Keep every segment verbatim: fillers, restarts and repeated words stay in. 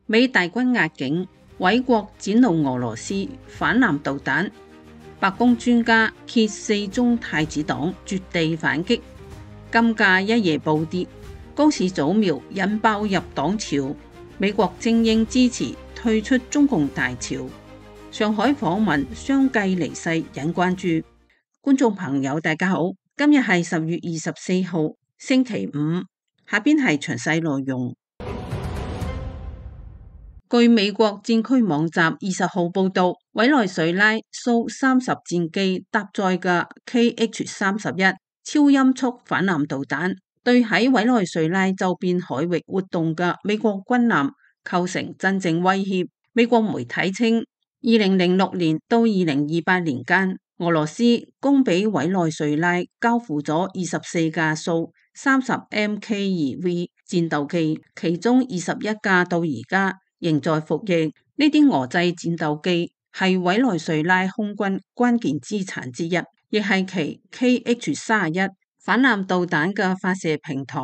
美大軍壓境，委國展露俄羅斯反艦導彈。白宮專家揭四中太子黨絕地反擊，金價一夜暴跌，高市早苗引爆入黨潮。美國精英支持退出中共大潮。上海訪問相繼離世引關注。觀眾朋友大家好，今日係十月二十四號星期五，下邊係詳細內容。據美國戰區網站二十號報道，委內瑞拉蘇三十戰機搭載嘅 K H 三十一超音速反艦導彈，對喺委內瑞拉周邊海域活動嘅美國軍艦構成真正威脅。美國媒體稱，二零零六年到二零二八年間，俄羅斯供俾委內瑞拉交付咗二十四架蘇三十 M K 二 V 戰鬥機，其中二十一架到而家仍在服役。呢啲俄製戰鬥機係委內瑞拉空軍關鍵資產之一，亦係其 K H 三十一反艦導彈嘅發射平台。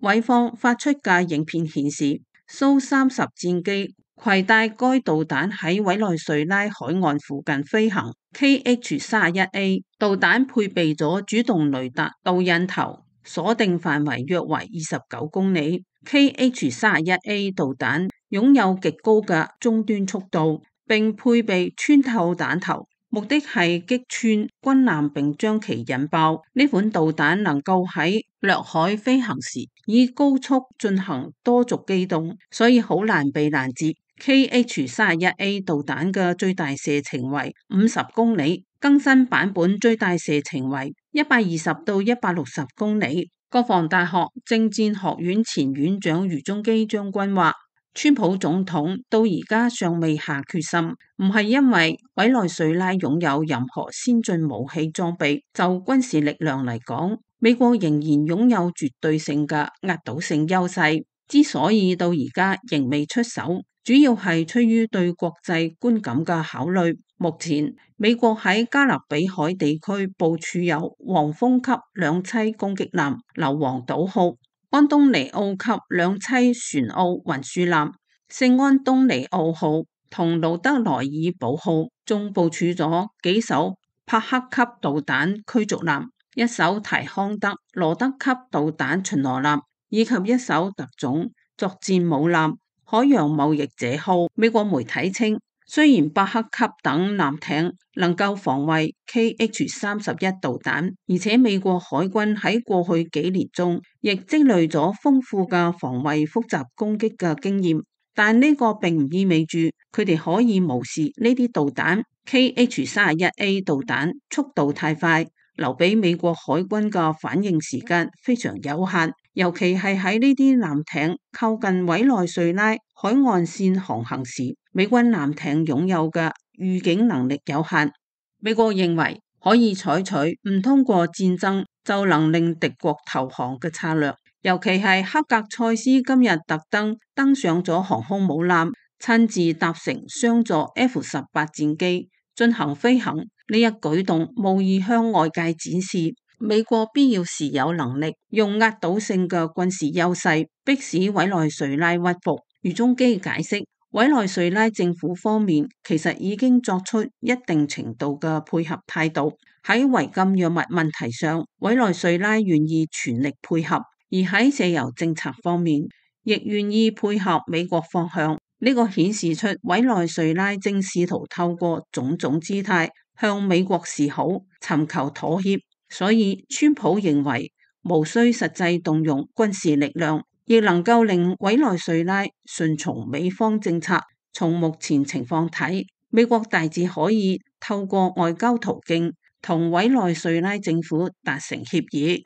委方發出嘅影片顯示，蘇三十戰機攜帶該導彈喺委內瑞拉海岸附近飛行。K H 三十一 A 導彈配備咗主動雷達導引頭，鎖定範圍約為二十九公里。K H 三十一 A 導彈擁有極高嘅終端速度，並配備穿透彈頭，目的係擊穿軍艦並將其引爆。呢款導彈能夠喺掠海飛行時以高速進行多軸機動，所以好難被攔截。K H 三十一 A 導彈嘅最大射程為五十公里，更新版本最大射程為一百二十到一百六十公里。國防大學政戰學院前院長余中基將軍話，川普總統到而家尚未下決心，唔係因為委內瑞拉擁有任何先進武器裝備，就軍事力量嚟講，美國仍然擁有絕對性嘅壓倒性優勢。之所以到而家仍未出手，主要係出於對國際觀感嘅考慮。目前美國喺加勒比海地區部署有黃蜂級兩棲攻擊艦硫磺島號、安東尼奧級兩棲船塢運輸艦聖安東尼奧號同盧德萊爾堡號，仲部署咗幾艘帕克級導彈驅逐艦、一艘提康德羅德級導彈巡邏艦以及一艘特種作戰母艦海洋貿易者號。美國媒體稱，雖然伯克級等艦艇能夠防衛 K H 三十一導彈，而且美國海軍喺過去幾年中亦積累咗豐富嘅防衛複雜攻擊嘅經驗，但呢個並唔意味住佢哋可以無視呢啲導彈。K H 三十一 A 導彈速度太快，留俾美國海軍嘅反應時間非常有限，尤其係喺呢啲艦艇靠近委內瑞拉海岸線航行時，美軍艦艇擁有嘅預警能力有限。美國認為可以採取唔通過戰爭就能令敵國投降嘅策略，尤其係克格塞斯今日特登登上咗航空母艦，親自搭乘雙座 F 十八戰機進行飛行。呢一舉動無意向外界展示美國必要時有能力用壓倒性嘅軍事優勢迫使委內瑞拉屈服。余中基解釋，委內瑞拉政府方面其實已經作出一定程度嘅配合態度，喺違禁藥物問題上，委內瑞拉願意全力配合，而喺石油政策方面亦願意配合美國方向。呢個顯示出委內瑞拉正試圖透過種種姿態向美國示好，尋求妥協。所以川普認為無需實際動用軍事力量，亦能夠令委內瑞拉順從美方政策。從目前情況睇，美國大致可以透過外交途徑同委內瑞拉政府達成協議。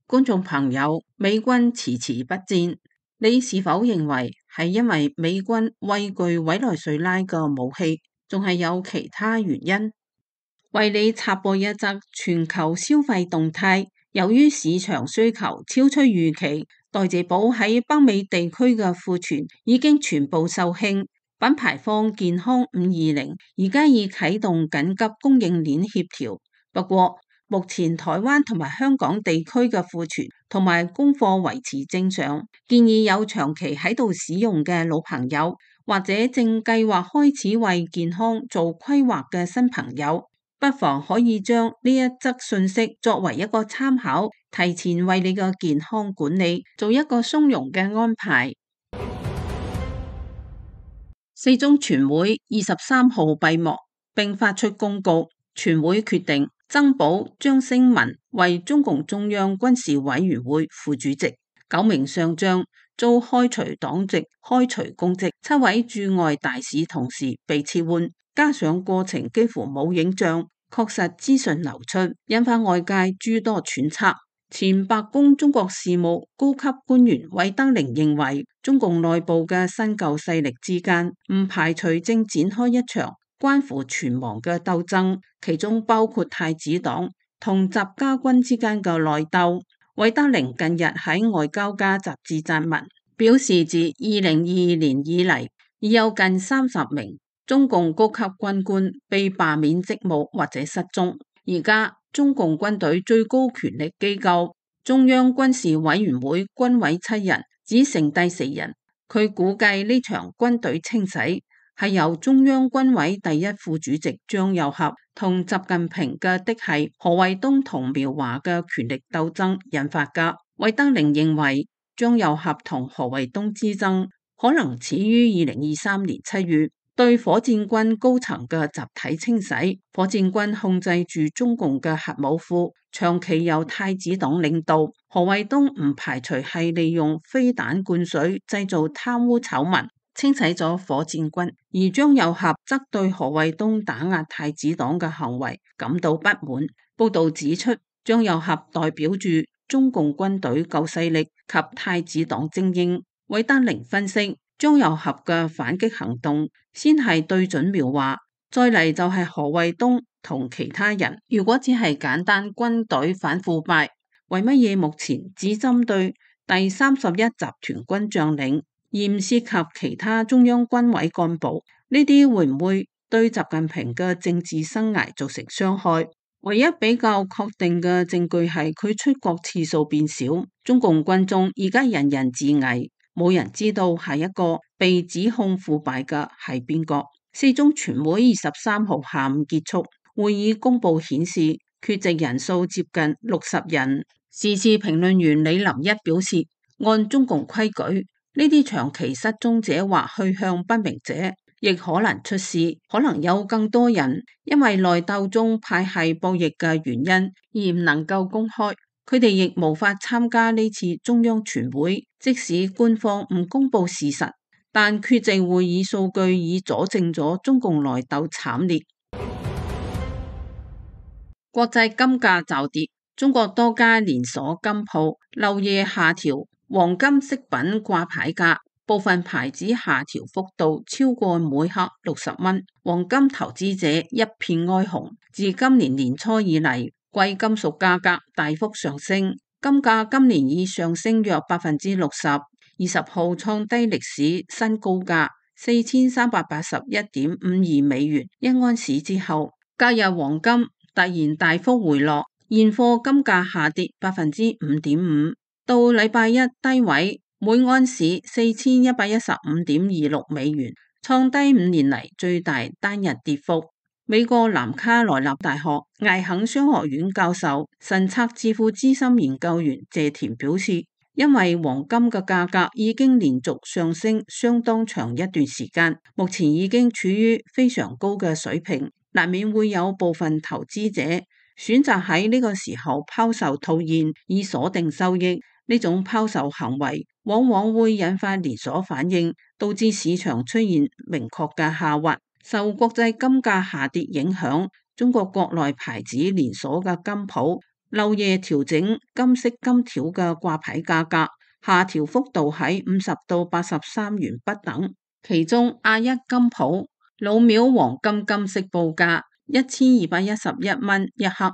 觀眾朋友，美軍遲遲不戰，你是否認為係因為美軍畏懼委內瑞拉嘅武器，仲係有其他原因？為你插播一則全球消費動態，由於市場需求超出預期，代謝寶喺北美地區嘅庫存已經全部售罄。品牌方健康五二零而家已啟動緊急供應鏈協調，不過目前台灣同埋香港地區嘅庫存同埋供貨維持正常，建議有長期喺度使用嘅老朋友，或者正計劃開始為健康做規劃嘅新朋友，不妨可以將呢一則信息作為一個參考，提前為你嘅健康管理做一個鬆容嘅安排。四中全會二十三號閉幕，並發出公告，全會決定增補張升文為中共中央軍事委員會副主席，九名上將遭開除黨籍、開除公職，七位駐外大使同事被撤換，加上過程幾乎冇影像，確實資訊流出，引發外界諸多揣測。前白宮中國事務高級官員韋德寧認為，中共內部嘅新舊勢力之間唔排除正展開一場關乎存亡嘅鬥爭，其中包括太子黨同習家軍之間嘅內鬥。韋德寧近日喺外交家雜誌撰文，表示自二零二二年以嚟，已有近三十名中共高級軍官被罷免職務或者失蹤。而家中共軍隊最高權力機構中央軍事委員會軍委七人只剩低四人，佢估計呢場軍隊清洗係由中央軍委第一副主席張又俠同習近平嘅嫡系何衛東同苗華嘅權力鬥爭引發噶。韋德寧認為張又俠同何衛東之爭可能始於二零二三年七月對火箭軍高層嘅集體清洗。火箭軍控制住中共嘅核武庫，長期由太子黨領導。何衛東唔排除係利用飛彈灌水製造貪污醜聞，清洗咗火箭軍。而張又俠則對何衛東打壓太子黨嘅行為感到不滿。報道指出，張又俠代表住中共軍隊舊勢力及太子黨精英。韋德寧分析，張又俠嘅反擊行動先係對準苗華，再嚟就係何衛東同其他人。如果只係簡單軍隊反腐敗，為乜嘢目前只針對第三十一集團軍將領，而唔涉及其他中央軍委幹部？呢啲會唔會對習近平嘅政治生涯造成傷害？唯一比較確定嘅證據係佢出國次數變少。中共軍中而家人人自危，冇人知道下一個被指控腐敗嘅係邊個。四中全會二十三號下午結束，會議公佈顯示缺席人數接近六十人。時事評論員李林一表示，按中共規矩，呢啲長期失蹤者或去向不明者亦可能出事，可能有更多人因為內鬥中派系博弈嘅原因而唔能夠公開。佢哋亦無法參加呢次中央全會，即使官方唔公布事實，但缺席會議數據已佐證咗中共內鬥慘烈。國際金價驟跌，中國多家連鎖金鋪漏夜下調黃金飾品掛牌價，部分牌子下調幅度超過每克六十蚊，黃金投資者一片哀鴻。自今年年初以嚟，貴金屬價格大幅上升，金價今年已上升約百分之六十，二十號創低歷史新高價四千三百八十一點五二美元一盎司之後，隔日黃金突然大幅回落，現貨金價下跌百分之五點五，到禮拜一低位每盎司四千一百一十五點二六美元，創低五年嚟最大單日跌幅。美國南卡羅來納大學艾肯商學院教授、神策智庫資深研究員謝田表示，因為黃金嘅價格已經連續上升相當長一段時間，目前已經處於非常高嘅水平，難免會有部分投資者選擇喺呢個時候拋售套現以鎖定收益。呢種拋售行為往往會引發連鎖反應，導致市場出現明確嘅下滑。受國際金價下跌影響，中國國內牌子連鎖嘅金鋪漏夜調整金飾金條嘅掛牌價格，下調幅度喺五十到八十三元不等。其中亞一金鋪老廟黃金金飾報價一千二百一十一蚊一克，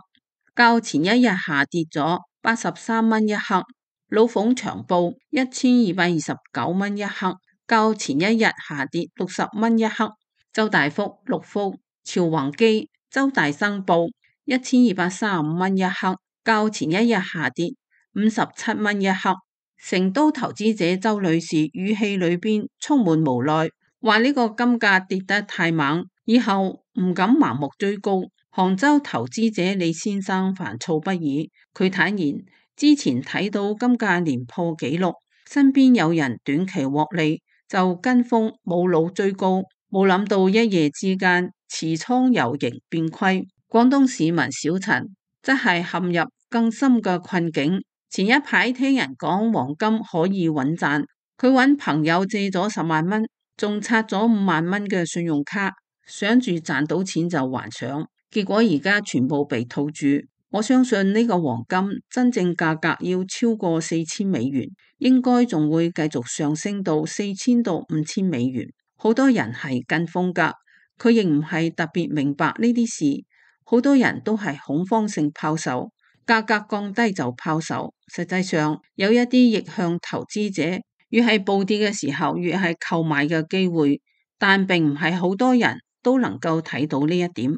較前一日下跌咗八十三蚊一克。老鳳長報一千二百二十九蚊一克，較前一日下跌六十蚊一克。周大福、六福、朝宏基、周大生報一千二百三十五蚊一克，較前一日下跌五十七蚊一克。成都投資者周女士語氣裏邊充滿無奈，話呢個金價跌得太猛，以後唔敢盲目追高。杭州投資者李先生煩躁不已，佢坦言之前睇到金價連破紀錄，身邊有人短期獲利就跟風冇腦追高，冇諗到一夜之間持倉由盈變虧。廣東市民小陳則係陷入更深嘅困境。前一排聽人講黃金可以穩賺，佢揾朋友借咗十萬蚊，仲拆咗五萬蚊嘅信用卡，想住賺到錢就還上，結果而家全部被套住。我相信呢個黃金真正價格要超過四千美元，應該仲會繼續上升到四千到五千美元。好多人係跟風㗎，佢亦唔係特別明白呢啲事，好多人都係恐慌性拋售。價格降低就拋售，實際上有一啲逆向投資者，越係暴跌嘅時候，越係購買嘅機會，但並唔係好多人都能夠睇到呢一點。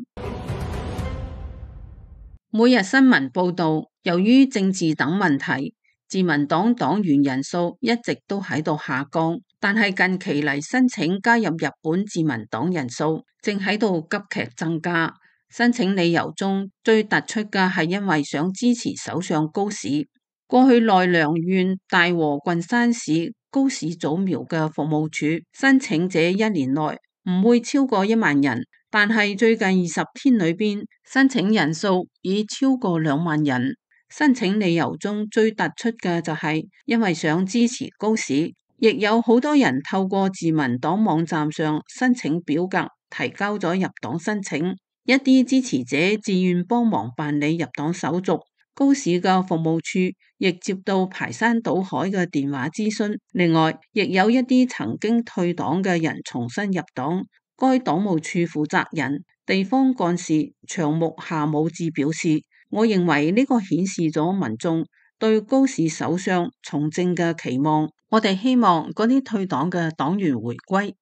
每日新聞報道，由於政治等問題，自民黨黨員人數一直都喺度下降，但係近期嚟申請加入日本自民黨人數正喺度急劇增加。申請理由中最突出嘅係因為想支持首相高市。過去奈良縣大和郡山市高市早苗嘅服務處申請者一年內唔會超過一萬人，但係最近二十天裏邊申請人數已超過兩萬人。申請理由中最突出嘅就係因為想支持高市，亦有好多人透過自民黨網站上申請表格提交咗入黨申請。一啲支持者自願幫忙辦理入黨手續，高市嘅服務處亦接到排山倒海嘅電話諮詢。另外，亦有一啲曾經退黨嘅人重新入黨。該黨務處負責人、地方幹事長木夏武志表示，我認為呢個顯示咗民眾對高市首相從政嘅期望。我哋希望嗰啲退黨嘅黨員回歸。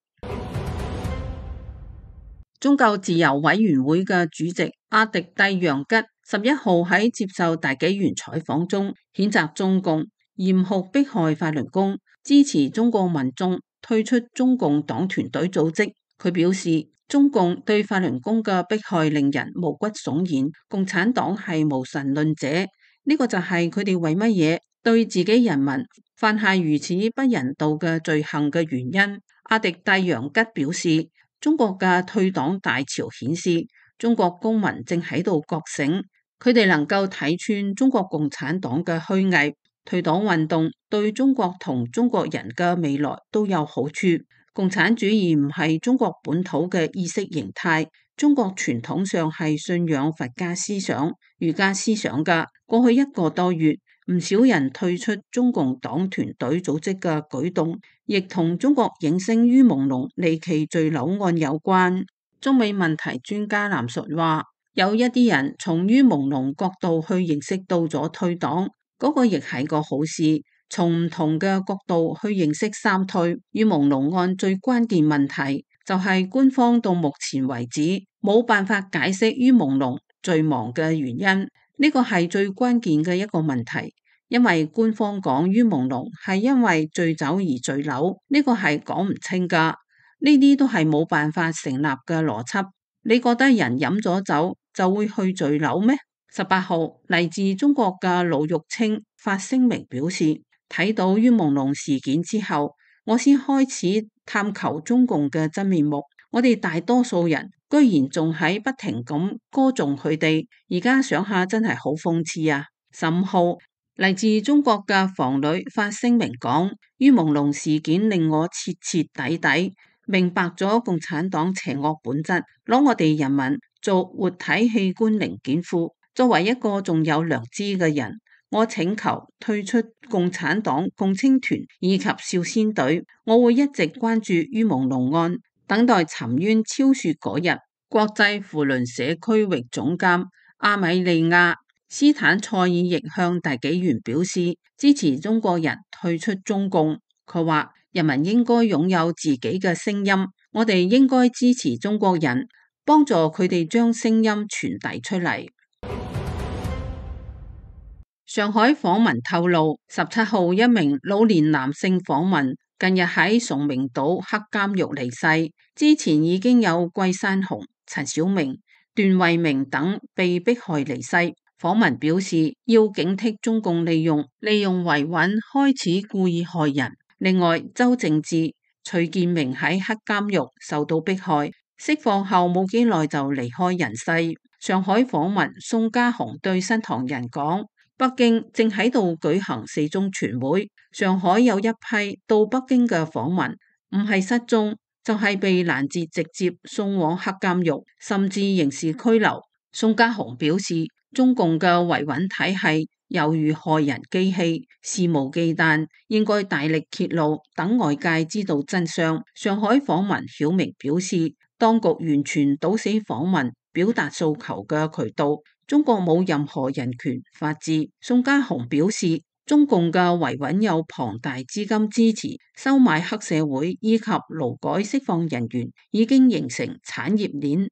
宗教自由委員會嘅主席阿迪蒂楊吉十一號喺接受大紀元採訪中，譴責中共嚴酷迫害法輪功，支持中國民眾退出中共黨團隊組織。佢表示，中共對法輪功嘅迫害令人毛骨悚然，共產黨係無神論者，呢、這個就係佢哋為乜嘢對自己人民犯下如此不人道嘅罪行嘅原因。阿迪蒂楊吉表示，中國嘅退黨大潮顯示，中國公民正喺度覺醒，佢哋能夠睇穿中國共產黨嘅虛偽。退黨運動對中國同中國人嘅未來都有好處。共產主義唔係中國本土嘅意識形態，中國傳統上係信仰佛家思想、儒家思想嘅。過去一個多月，唔少人退出中共黨團隊組織嘅舉動，亦同中國影星于朦朧離奇墜樓案有關。中美問題專家藍述話，有一啲人從于朦朧角度去認識到咗退黨，嗰、那個亦係個好事。從唔同嘅角度去認識三退。于朦朧案最關鍵問題就係官方到目前為止冇辦法解釋于朦朧墜亡嘅原因，呢個係最關鍵嘅一個問題。因為官方講于朦朧係因為醉酒而墜樓，呢個係講唔清噶，呢啲都係冇辦法成立嘅邏輯。你覺得人飲咗酒就會去墜樓咩？十八號嚟自中國嘅盧玉清發聲明表示，睇到于朦朧事件之後，我先開始探求中共嘅真面目。我哋大多數人居然仲喺不停咁歌頌佢哋，而家想下真係好諷刺啊！十五號嚟自中國嘅房女發聲明講，于朦朧事件令我徹徹底底明白咗共產黨邪惡本質，攞我哋人民做活體器官零件庫。作為一個仲有良知嘅人，我請求退出共產黨、共青團以及少先隊。我會一直關注于朦朧案，等待沉冤昭雪嗰日。國際扶輪社區域總監阿米利亞斯坦塞爾亦向大紀元表示支持中國人退出中共。佢話：人民應該擁有自己嘅聲音，我哋應該支持中國人，幫助佢哋將聲音傳遞出嚟。上海訪民透露，十七號一名老年男性訪民近日喺崇明島黑監獄離世，之前已經有季山雄、陳小明、段惠明等被迫害離世。訪民表示要警惕中共利用利用維穩開始故意害人。另外，周正智、徐建明喺黑監獄受到迫害，釋放後冇幾耐就離開人世。上海訪民宋家雄對新唐人講，北京正喺度舉行四中全會，上海有一批到北京嘅訪民，唔係失蹤，就係、是、被攔截，直接送往黑監獄，甚至刑事拘留。宋家雄表示，中共嘅維穩體系猶如害人機器，肆無忌憚，應該大力揭露，等外界知道真相。上海訪民曉明表示，當局完全堵死訪民表達訴求嘅渠道，中國冇任何人權法治。宋家雄表示，中共嘅維穩有龐大資金支持，收買黑社會以及勞改釋放人員，已經形成產業鏈。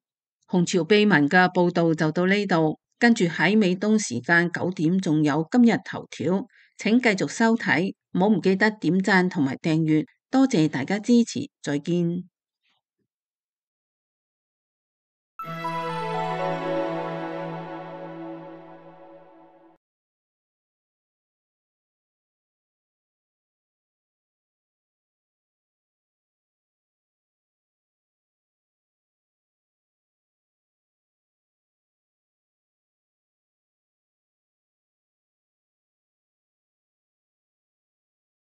紅潮秘聞嘅報道就到呢度，跟住喺美東時間九點仲有今日頭條，請繼續收睇，唔好唔記得點讚同埋訂閱，多謝大家支持，再見。